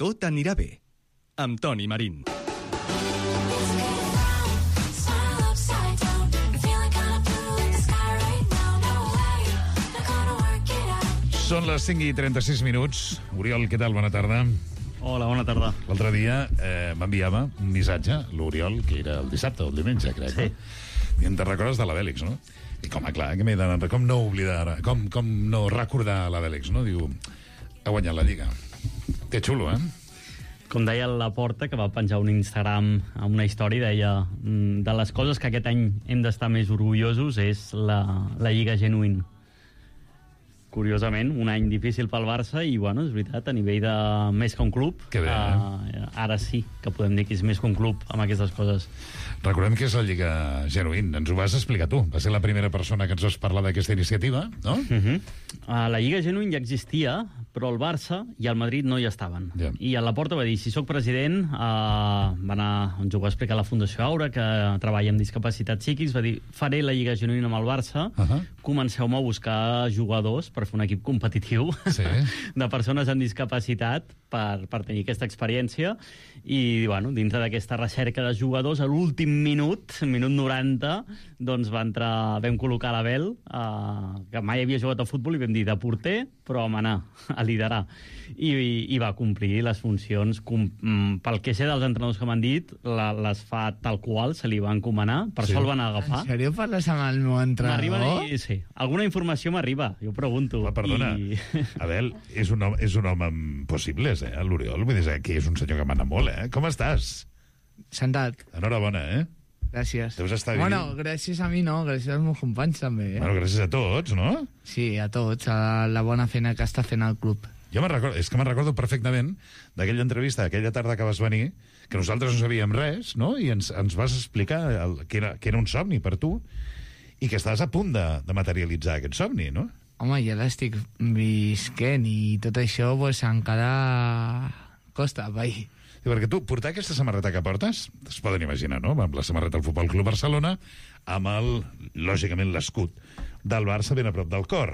Tot anirà bé. Amb Toni Marín. Són les 5:36. Oriol, què tal? Bona tarda. Hola, bona tarda. L'altre dia m'enviava un missatge, l'Oriol, que era el dissabte o el diumenge, crec. Sí. I em te recordes de la Bèlix, no? I com no oblidar, com no recordar la Bèlix, no? Diu, ha guanyat la Lliga. Que xulo, Com deia Laporta, que va penjar un Instagram amb una història, deia de les coses que aquest any hem d'estar més orgullosos és la Lliga Genuïn. Curiosament, un any difícil pel Barça i, bueno, és veritat, a nivell de més que un club, que bé, ara sí que podem dir que és més que un club amb aquestes coses. Recordem que és la Lliga Genuïn. Ens ho vas explicar tu. Va ser la primera persona que ens vas parlar d'aquesta iniciativa, no? La Lliga Genuïn ja existia, però el Barça i el Madrid no hi estaven. Yeah. I a Laporta va dir, si sóc president, va anar, ens ho va explicar la Fundació Aura, que treballa amb discapacitats psíquics, va dir, faré la Lliga Genuïn amb el Barça, comenceu-me a buscar jugadors per fer un equip competitiu de persones amb discapacitat per tenir aquesta experiència i, bueno, dintre d'aquesta recerca de jugadors, a l'últim minut 90, doncs vam col·locar l'Abel, que mai havia jugat a futbol, i vam dir de porter, però vam anar a liderar. I va complir les funcions. Pel que sé dels entrenadors que m'han dit, les fa tal qual, se li va encomanar, per això el van agafar. En sèrio parles amb el meu entrenador? Sí, alguna informació m'arriba, jo pregunto. Perdona, Abel, és un home amb possibles, l'Oriol, vull dir que és un senyor que mana molt, Com estàs? Sentat. Enhorabona, Gràcies. Deus estar bé. Bueno, gràcies a mi no, gràcies als meus companys també. Bueno, gràcies a tots, no? Sí, a tots, a la bona feina que està fent el club. Jo me'n recordo perfectament d'aquella entrevista, aquella tarda que vas venir, que nosaltres no sabíem res, no? I ens vas explicar que era un somni per tu i que estaves a punt de materialitzar aquest somni, no? Home, ja l'estic visquent i tot això pues, encara costa, vai. Sí, perquè tu, portar aquesta samarreta que portes, es poden imaginar, no? Amb la samarreta del Futbol Club Barcelona, amb lògicament, l'escut del Barça ben a prop del cor.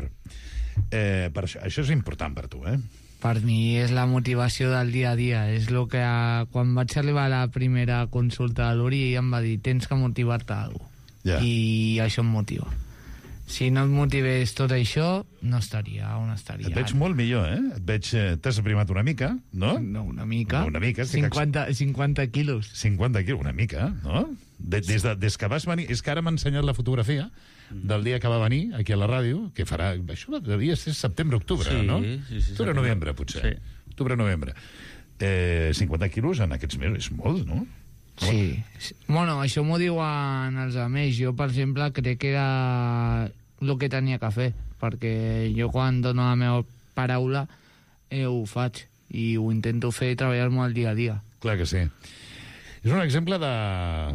Per això és important per tu, Per mi és la motivació del dia a dia. És el que quan vaig arribar a la primera consulta de l'Uri em va dir, tens que motivar-te a alguna cosa. I això em motiva. Si no et motivés tot això, no estaria on estaria. Et veig molt millor, Et veig... T'has aprimat una mica, no? No, una mica. Una mica. 50 quilos. 50 quilos, una mica, no? Des que vas venir... És que ara m'ha ensenyat la fotografia del dia que va venir aquí a la ràdio, que farà... Això devia ser setembre-octubre, no? Sí. Octubre-novembre, potser. Sí. Octubre-novembre. 50 quilos en aquests mesos, és molt, no? Sí. Bueno, això m'ho diuen els amics. Jo, per exemple, crec que era el que tenia que fer, perquè jo quan dono la meva paraula ho faig i ho intento fer i treballar molt dia a dia. Clar que sí. És un exemple de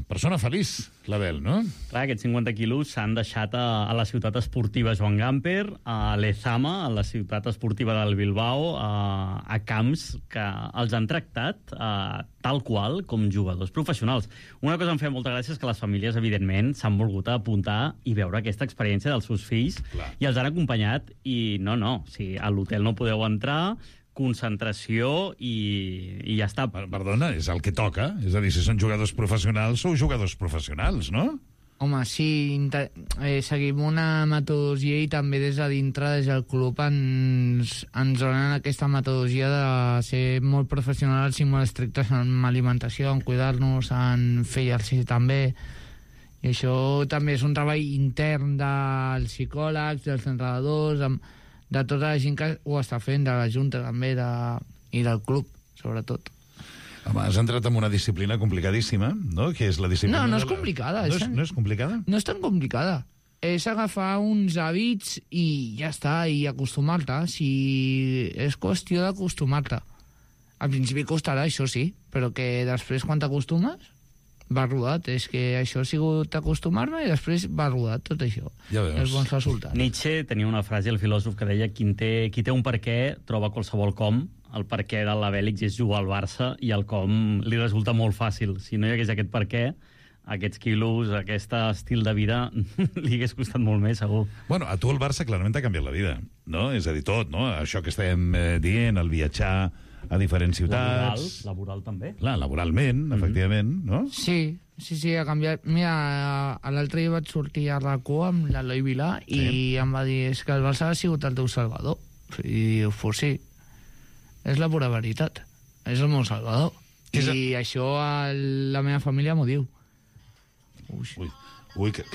persona feliç, l'Abel, no? Clar, aquests 50 quilos s'han deixat a la ciutat esportiva Joan Gamper, a l'Ezama, a la ciutat esportiva del Bilbao, a camps que els han tractat tal qual com jugadors professionals. Una cosa em feia molta gràcia és que les famílies, evidentment, s'han volgut apuntar i veure aquesta experiència dels seus fills. Clar. I els han acompanyat i no, si a l'hotel no podeu entrar, concentració i ja està. Perdona, és el que toca. És a dir, si són jugadors professionals, sou jugadors professionals, no? Home, sí, seguim una metodologia i també des de dintre, des del club, ens donen aquesta metodologia de ser molt professionals i molt estrictes en alimentació, en cuidar-nos, en fer exercici també. I això també és un treball intern dels psicòlegs, dels entrenadors, de tota la gent que ho està fent, de la Junta també, i del club, sobretot. Home, has entrat en una disciplina complicadíssima, no? Que és la disciplina... No és complicada. No és complicada? No és tan complicada. És agafar uns hàbits i ja està, i acostumar-te. Si és qüestió d'acostumar-te. Al principi costarà, això sí, però que després, quan t'acostumes, va rodat. És que això ha sigut acostumar-me i després va rodat tot això. Ja veus. Els bons resultats. Nietzsche tenia una frase, el filòsof, que deia qui té un per què troba qualsevol com. El per què de l'Abèlix és jugar al Barça i el com li resulta molt fàcil. Si no hi hagués aquest per què, aquests quilos, aquest estil de vida li hagués costat molt més, segur. Bueno, a tu el Barça clarament t'ha canviat la vida, no? És a dir, tot, no? Això que estem dient, el viatjar, a diferents ciutats... Laboral també. Clar, laboralment, efectivament, no? Sí, ha canviat. Mira, l'altre dia vaig sortir a RAC1 amb l'Eloi Vilà i em va dir, és que el Barça ha sigut el teu salvador. I diu, pues sí, és la pura veritat. És el meu salvador. I això la meva família m'ho diu. Ui, que...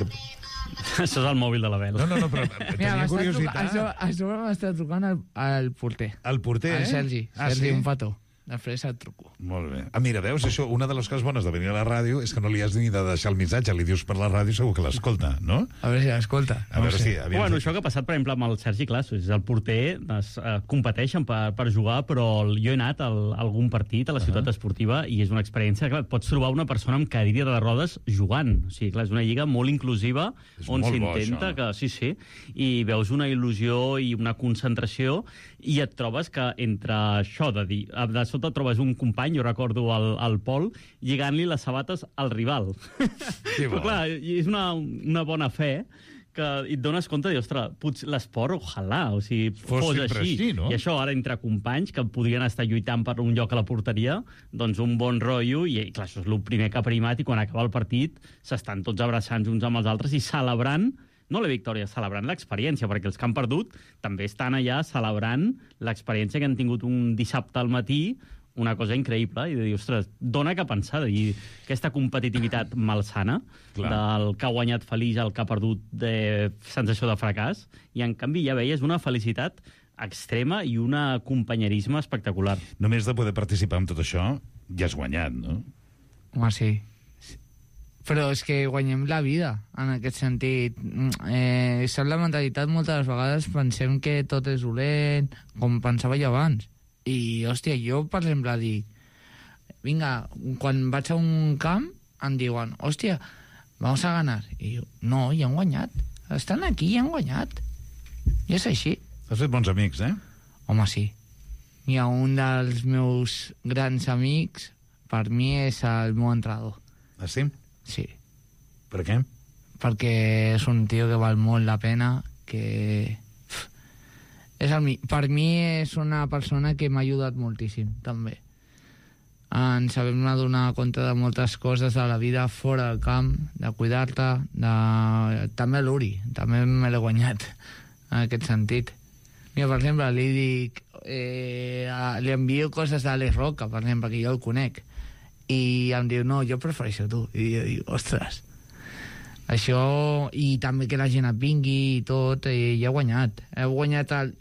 Això és el mòbil de la Bel. No, però tenia curiositat. Això m'està trucant el porter. El porter, el Sergi, un petó. Després et truco. Molt bé. Mira, veus, això, una de les coses bones de venir a la ràdio és que no li has ni de deixar el missatge, li dius per la ràdio, segur que l'escolta, no? A veure si l'escolta. A veure si... Bueno, això que ha passat, per exemple, amb el Sergi Classos, és el porter, competeixen per jugar, però jo he anat a algun partit a la ciutat esportiva i és una experiència, clar, pots trobar una persona amb cadira de rodes jugant. O sigui, clar, és una lliga molt inclusiva, on s'intenta que... Sí, i veus una il·lusió i una concentració i et trobes que entre això de dir... De sota trobes un company, jo recordo el Pol, lligant-li les sabates al rival. Però clar, és una bona fe que et dones compte de dir, ostres, potser l'esport, ojalà, o sigui, fos així. No? I això ara entre companys que podrien estar lluitant per un lloc a la porteria, doncs un bon rotllo, i clar, això és el primer que ha primat, i quan acaba el partit s'estan tots abraçant uns amb els altres i celebrant no la victòria, celebrant l'experiència, perquè els que han perdut també estan allà celebrant l'experiència que han tingut un dissabte al matí, una cosa increïble, i de dir, ostres, dona que pensar, i aquesta competitivitat malsana, del que ha guanyat feliç al que ha perdut de sensació de fracàs, i en canvi ja veies una felicitat extrema i un companyerisme espectacular. Només de poder participar en tot això, ja has guanyat, no? Home, sí. Però és que guanyem la vida, en aquest sentit. Sap la mentalitat, moltes vegades pensem que tot és dolent, com pensava jo abans. I, hòstia, jo, per exemple, dic, vinga, quan vaig a un camp, em diuen, hòstia, vamos a ganar. I jo, no, ja han guanyat. Estan aquí i han guanyat. I és així. Has fet bons amics, eh? Home, sí. Hi ha un dels meus grans amics, per mi és el meu entrenador. Ah, sí? Sí. Per què? Perquè és un tio que val molt la pena, que... Per mi és una persona que m'ha ajudat moltíssim, també. Ens sabem donar compte de moltes coses de la vida fora del camp, de cuidar-te, també l'Uri, també me l'he guanyat, en aquest sentit. Mira, per exemple, li dic... li envio coses d'Àlex Roca, per exemple, que jo el conec, i em diu, no, jo prefereixo tu. I jo dic, ostres, això, i també que la gent et vingui i tot, i he guanyat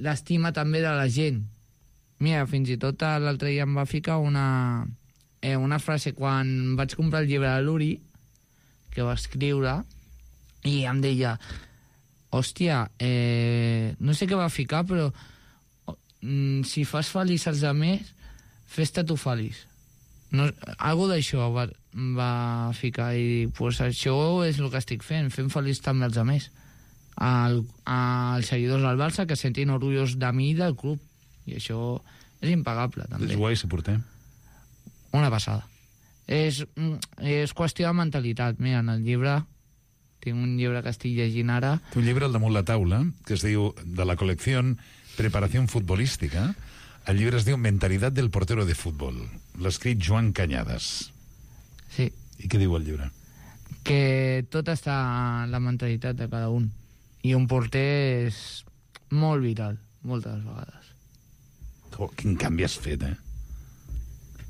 l'estima també de la gent. Mira, fins i tot l'altre dia em va ficar una frase quan vaig comprar el llibre de l'Uri, que va escriure, i em deia, hòstia, no sé què va ficar, però si fas feliç els altres, fes-te tu feliç. No, algo d'això va ficar i pues, això és el que estic fent feliç també els altres, als seguidors del Barça, que sentin orgullosos de mi i del club, i això és impagable també. És guai ser porter. Una passada. És qüestió de mentalitat. Mira, en el llibre tinc un llibre que estic llegint ara. Té un llibre al damunt la taula que es diu, de la col·lecció Preparació Futbolística. El llibre es diu Mentalitat del portero de futbol. L'ha escrit Joan Cañadas. Sí. I què diu el llibre? Que tot està en la mentalitat de cada un. I un porter és molt vital, moltes vegades. Oh, quin canvi has fet,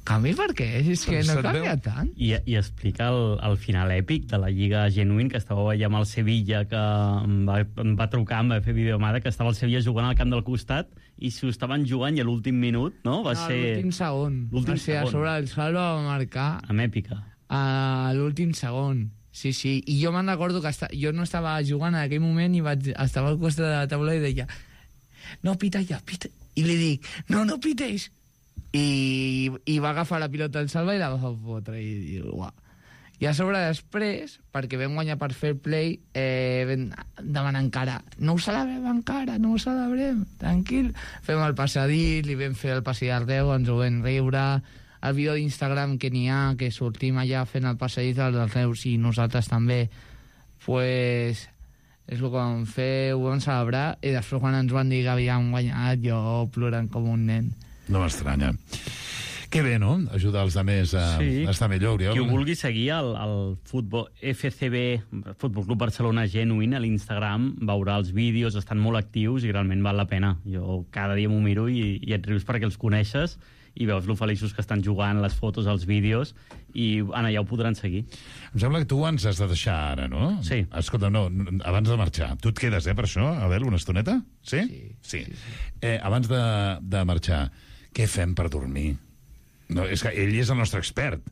Canvi per què? És que no canvia tant. I explica el final èpic de la Lliga Genuïn, que estava allà amb el Sevilla, que em va trucar, em va fer videomada, que estava el Sevilla jugant al camp del costat, i si ho estaven jugant i a l'últim minut, no? Va ser... l'últim segon. L'últim segon. A sobre el Salva va marcar... Amb èpica. A l'últim segon. Sí, sí. I jo me'n recordo que jo no estava jugant en aquell moment i estava al costat de la taula i deia, no, pita ja, pita. I li dic, no pites. I va agafar la pilota del Salva i la va fotre. I diu, uah. I a sobre després, perquè vam guanyar per fair play, vam demanar encara, no ho celebrem encara, no ho celebrem, tranquil. Fem el passadís, li vam fer el passadís d'Ardeu, ens ho vam riure, el vídeo d'Instagram que n'hi ha, que sortim allà fent el passadís dels Reus i nosaltres també, pues, és el que vam fer, ho vam celebrar, i després quan ens van dir que havíem guanyat, jo plorant com un nen. No m'estranya. Que bé, no?, ajudar els altres a estar millor, Oriol. Qui ho vulgui seguir, el futbol FCB, Futbol Club Barcelona Genuïn, a l'Instagram, veurà els vídeos, estan molt actius i realment val la pena. Jo cada dia m'ho miro i et rius perquè els coneixes i veus lo feliços que estan jugant, les fotos, els vídeos, i allà ho podran seguir. Em sembla que tu ens has de deixar ara, no? Sí. Escolta, no, abans de marxar. Tu et quedes, per això, Abel, una estoneta? Sí? Sí. Abans de marxar, què fem per dormir? No, és que ell és el nostre expert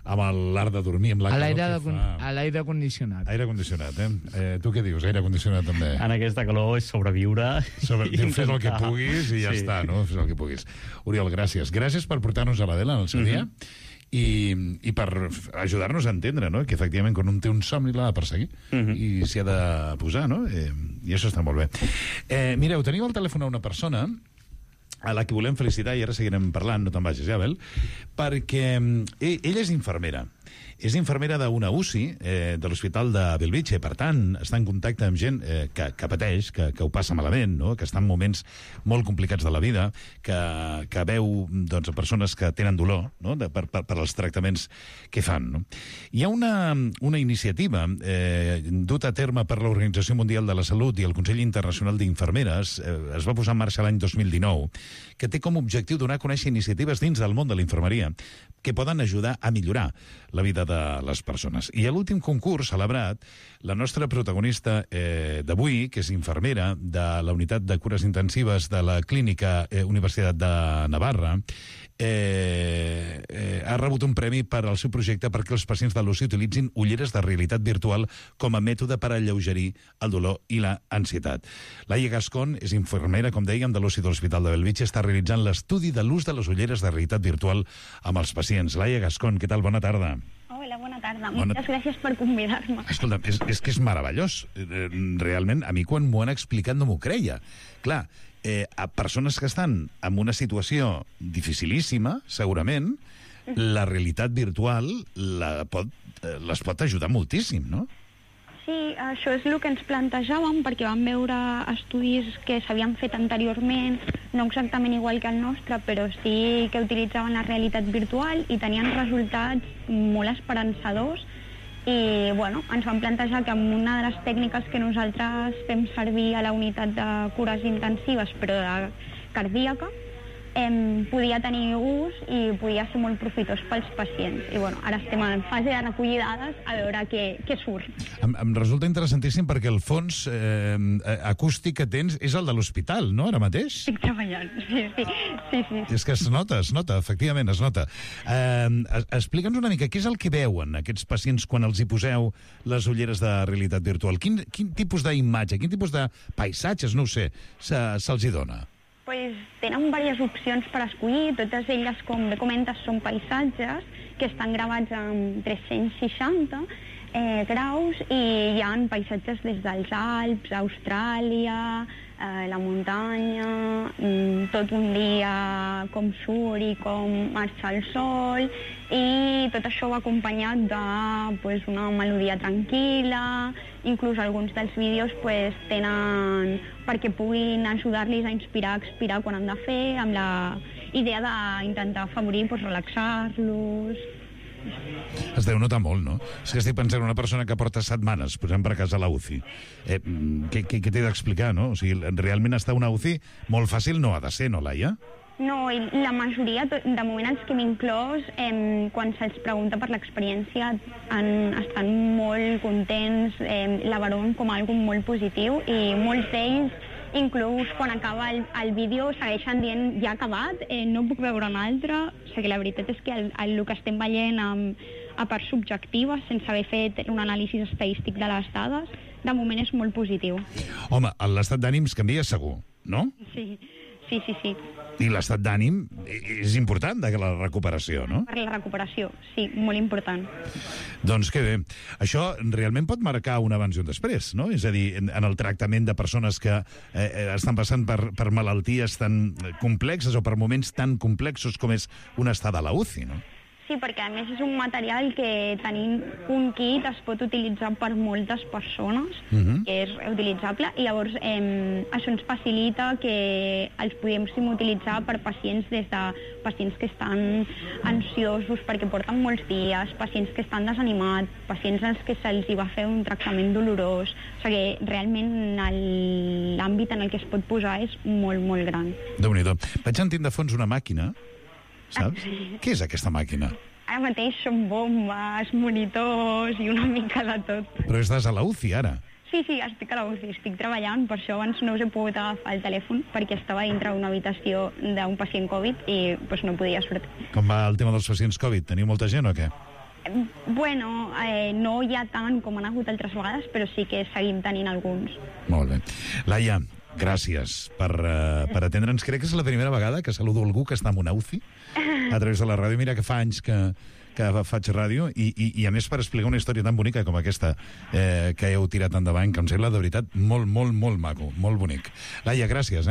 amb l'art de dormir, amb la calor que fa. A l'aire condicionat. Aire condicionat, Tu què dius? Aire condicionat també. En aquesta calor és sobreviure. Fes el que puguis i ja està, no? Fes el que puguis. Oriol, gràcies. Gràcies per portar-nos a l'Adela en el seu dia i per ajudar-nos a entendre, no?, que efectivament quan un té un somni l'ha de perseguir i s'hi ha de posar, no? I això està molt bé. Mireu, tenim al telèfon a una persona a la que volem felicitar, i ara seguirem parlant, no te'n vagis, Abel, perquè ella és infermera. És infermera d'una UCI de l'Hospital de Bellvitge, per tant, està en contacte amb gent que pateix, que ho passa malament, no?, que està en moments molt complicats de la vida, que veu doncs, persones que tenen dolor, no?, per als tractaments que fan. No? Hi ha una iniciativa duta a terme per l'Organització Mundial de la Salut i el Consell Internacional d'Infermeres, es va posar en marxa l'any 2019, que té com a objectiu donar a conèixer iniciatives dins del món de la infermeria que poden ajudar a millorar la vida de les persones. I a l'últim concurs celebrat, la nostra protagonista d'avui, que és infermera de la unitat de cures intensives de la Clínica Universitat de Navarra, ha rebut un premi per al seu projecte perquè els pacients de l'UCI utilitzin ulleres de realitat virtual com a mètode per alleugerir el dolor i la ansietat. Laia Gascon és infermera, com dèiem, de l'UCI de l'Hospital de Bellvitge, està realitzant l'estudi de l'ús de les ulleres de realitat virtual amb els pacients. Laia Gascon, què tal? Bona tarda. Hola, bona tarda. Moltes gràcies per convidar-me. Escolta, és que és meravellós. Realment, a mi quan m'ho han explicat no m'ho creia. Clar, a persones que estan en una situació dificilíssima, segurament, la realitat virtual les pot ajudar moltíssim, no? Sí, això és el que ens plantejàvem, perquè vam veure estudis que s'havien fet anteriorment, no exactament igual que el nostre, però sí que utilitzaven la realitat virtual i tenien resultats molt esperançadors. I bueno, ens vam plantejar que amb una de les tècniques que nosaltres fem servir a la unitat de cures intensives, però de cardíaca, podia tenir ús i podia ser molt profitós pels pacients. I bueno, ara estem en fase de recollir dades a veure què surt. Em resulta interessantíssim perquè el fons acústic que tens és el de l'hospital, no?, ara mateix? Estic treballant, sí. És que es nota, efectivament, es nota. Explica'ns una mica, què és el que veuen aquests pacients quan els hi poseu les ulleres de realitat virtual? Quin tipus d'imatge, quin tipus de paisatges, no ho sé, se'ls hi dona? Pues tenen diverses opcions per escollir, totes elles, com bé comentes, són paisatges que estan gravats en 360 graus i hi ha paisatges des dels Alps, Austràlia, la muntanya, tot un dia com surt i com marxa el sol, i tot això va acompanyat d'una melodia tranquil·la. Inclús alguns dels vídeos tenen perquè puguin ajudar-los a inspirar, expirar quan han de fer, amb la idea d'intentar afavorir, relaxar-los. Es deu notar molt, no? És que estic pensant en una persona que porta setmanes posant per casa a la UCI. Què t'he d'explicar, no? O sigui, realment estar a una UCI molt fàcil no ha de ser, no, Laia? No, i la majoria, de moment els que hem inclòs, quan se'ls pregunta per l'experiència, estan molt contents, la valoren com algo molt positiu, i molts d'ells, inclús quan acaba el vídeo, segueixen dient ja ha acabat, no puc veure un altre. O sigui, la veritat és que el que estem veient a part subjectiva, sense haver fet un anàlisi estadístic de les dades, de moment és molt positiu. Home, l'estat d'ànims canvia segur, no? Sí. I l'estat d'ànim és important de la recuperació, no? Per la recuperació, sí, molt important. Doncs que bé. Això realment pot marcar un abans i un després, no? És a dir, en el tractament de persones que estan passant per malalties tan complexes o per moments tan complexos com és una estada a la UCI, no? Sí, perquè a més és un material que tenint un kit es pot utilitzar per moltes persones, que és reutilitzable, i llavors això ens facilita que els podem utilitzar per pacients, des de pacients que estan ansiosos perquè porten molts dies, pacients que estan desanimats, pacients als que se'ls va fer un tractament dolorós. O sigui, realment l'àmbit en el que es pot posar és molt, molt gran. Déu-n'hi-do. Vaig sentint de fons una màquina, saps? Què és aquesta màquina? Ara mateix són bombes, monitors i una mica de tot. Però estàs a la UCI, ara. Sí, estic a la UCI, estic treballant, per això abans no us he pogut agafar el telèfon, perquè estava dintre d'una habitació d'un pacient Covid i doncs, no podia sortir. Com va el tema dels pacients Covid? Teniu molta gent o què? Bueno, no hi ha tant com han hagut altres vegades, però sí que seguim tenint alguns. Molt bé. Laia, gràcies per atendre'ns. Crec que és la primera vegada que saludo algú que està en una UCI a través de la ràdio. Mira que fa anys que faig ràdio i a més per explicar una història tan bonica com aquesta que heu tirat endavant, que em sembla de veritat molt, molt, molt maco, molt bonic. Laia, gràcies,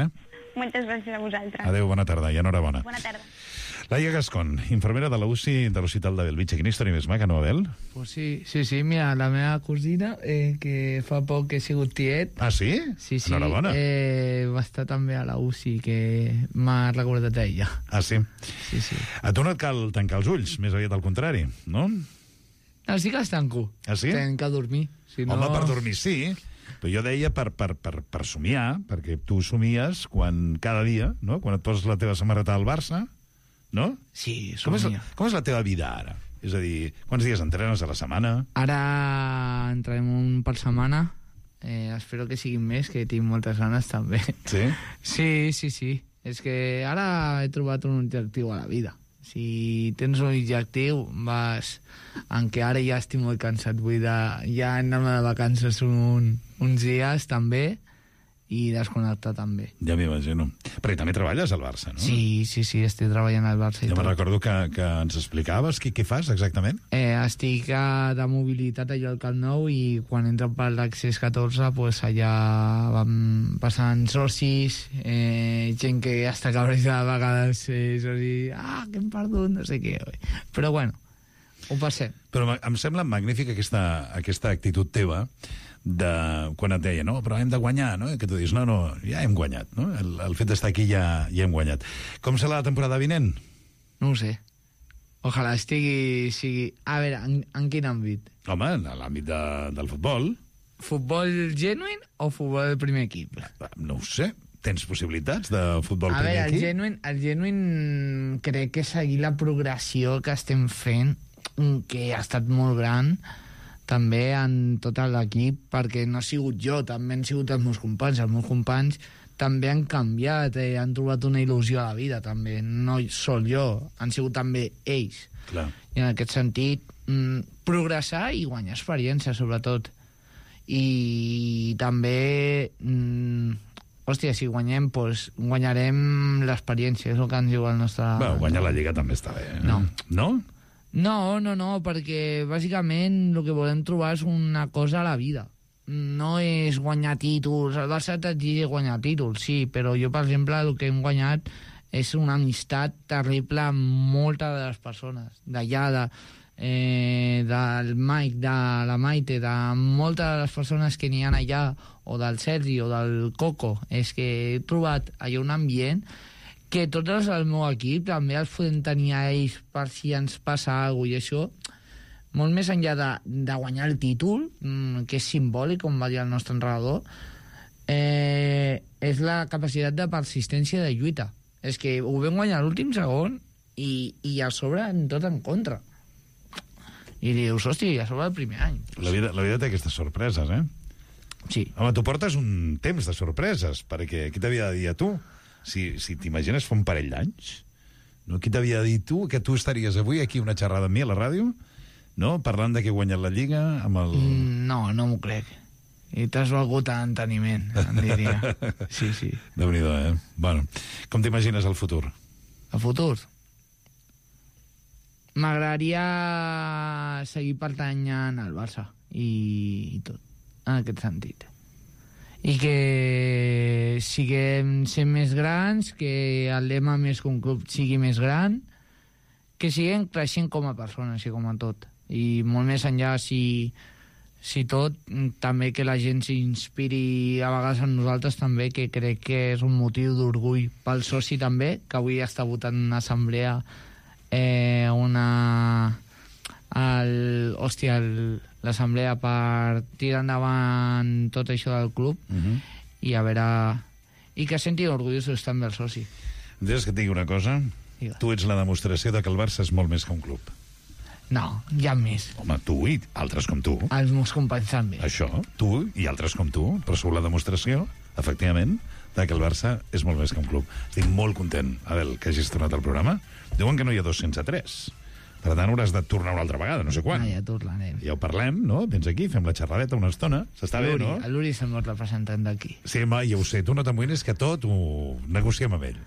Moltes gràcies a vosaltres. Adéu, bona tarda i enhorabona. Bona tarda. Laia Gascon, infermera de la UCI de l'Hospital de Bellvitge. Quina història més maca, no, Abel? Pues sí, mira, la meva cosina, que fa poc que he sigut tiet... Ah, sí? Sí, enhorabona. Va estar també a la UCI, que m'ha recordat a ella. Ah, sí? Sí. A tu no et cal tancar els ulls, més aviat al contrari, no? No, sí que els tanco. Ah, sí? Tenc que dormir. Si no... Home, per dormir sí, però jo deia per somiar, perquè tu somies cada dia, no? Quan et poses la teva samarreta al Barça, no? Sí, com és la teva vida ara? És a dir, quants dies entrenes a la setmana? Ara entrenem un per setmana. Espero que siguin més, que tinc moltes ganes també. Sí? Sí. És que ara he trobat un objectiu a la vida. Si tens un objectiu, vas... Encara ara ja estic molt cansat, vull dir, ja anar de vacances uns dies també, i desconnectar també. Ja m'imagino. Perquè també treballes al Barça, no? Sí, estic treballant al Barça i jo tot. me'n recordo que ens explicaves què fas exactament. Estic de mobilitat allà al Camp Nou i quan entren per l'accés 14, pues allà vam passant socis, gent que està cabrejada a vegades, socis, que hem perdut, no sé què. Però bueno, ho passem. Però em sembla magnífica aquesta actitud teva de quan et deia, no, però hem de guanyar, no? I que tu dius, no, ja hem guanyat, no? El fet d'estar aquí ja hem guanyat. Com serà la temporada vinent? No ho sé. Ojalà sigui... A veure, en quin àmbit? Home, en l'àmbit del futbol. Futbol genuine o futbol del primer equip? No ho sé. Tens possibilitats de futbol primer equip? A veure, el genuine crec que seguir la progressió que estem fent, que ha estat molt gran, també en tot l'equip, perquè no he sigut jo, també han sigut els meus companys. Els meus companys també han canviat, han trobat una il·lusió a la vida, també. No sol jo, han sigut també ells. Clar. I en aquest sentit, progressar i guanyar experiència, sobretot. I també, si guanyem, doncs guanyarem l'experiència, és el que ens diu el nostre... Guanyar la Lliga també està bé. No. No? No, perquè bàsicament el que volem trobar és una cosa a la vida. No és guanyar títols. El Barça t'exigeix guanyar títols, sí, però jo, per exemple, el que hem guanyat és una amistat terrible amb moltes de les persones. D'allà, del Mike, de la Maite, de moltes de les persones que n'hi ha allà, o del Sergi, o del Coco. És que he trobat allà un ambient que tots els del meu equip també els podem tenir a ells per si ens passa alguna cosa, i això, molt més enllà de guanyar el títol, que és simbòlic, com va dir el nostre entrenador, és la capacitat de persistència de lluita. És que ho vam guanyar l'últim segon i a sobre tot en contra. I dius, hòstia, a sobre el primer any. La vida té aquestes sorpreses, Sí. Home, tu portes un temps de sorpreses, perquè qui t'havia de dir a tu? Si t'imagines fa un parell d'anys, no? Qui t'havia de dir tu que tu estaries avui aquí una xerrada amb mi a la ràdio, no? Parlant de que he guanyat la Lliga amb el... No m'ho crec. I t'has valgut a enteniment, em diria. Sí. Déu-n'hi-do, Bueno, com t'imagines el futur? El futur? M'agradaria seguir pertanyant al Barça i tot, en aquest sentit. I que siguem ser més grans, que el lema més que un club sigui més gran, que siguen creixent com a persones i com a tot. I molt més enllà, si tot, també que la gent s'inspiri a vegades en nosaltres també, que crec que és un motiu d'orgull pel soci també, que avui està votant en assemblea l'assemblea per tirar endavant tot això del club i a veure... I que sentin orgullosos també el soci. Deixes que et digui una cosa? Digues. Tu ets la demostració de que el Barça és molt més que un club. No, hi ha més. Home, tu i altres com tu. Els meus companys també. Això, tu i altres com tu, però sou la demostració, efectivament, de que el Barça és molt més que un club. Estic molt content, Abel, que hagis tornat al programa. Diuen que no hi ha 2 sense 3. Per tant, hauràs de tornar una altra vegada, no sé quan. Ja tornarem. Ja ho parlem, no? Vens aquí, fem la xerradeta una estona. S'està bé, no? L'Uri és el meu representant d'aquí. Sí, home, ja ho sé. Tu no t'amoïnes, que tot ho negociem amb ell.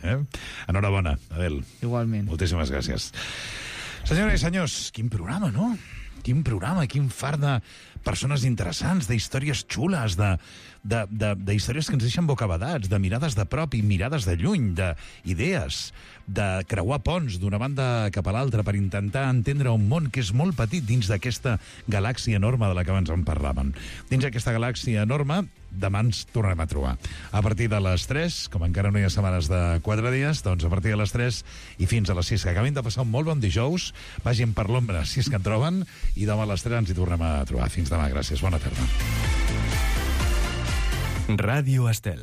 Enhorabona, Abel. Igualment. Moltíssimes gràcies. Senyores i senyors, quin programa, no? Quin programa, quin far de persones interessants, d'històries xules, d'històries que ens deixen bocabadats, de mirades de prop i mirades de lluny, d'idees, de creuar ponts d'una banda cap a l'altra per intentar entendre un món que és molt petit dins d'aquesta galàxia enorme de la que abans en parlaven. Dins d'aquesta galàxia enorme, demà ens tornarem a trobar. A partir de les 3, com encara no hi ha setmanes de 4 dies, doncs a partir de les 3 i fins a les 6, que acabin de passar un molt bon dijous, vagin per l'ombra si és que en troben, i demà a les 3 ens hi tornem a trobar. Fins demà, gràcies, bona tarda. Radio Estel.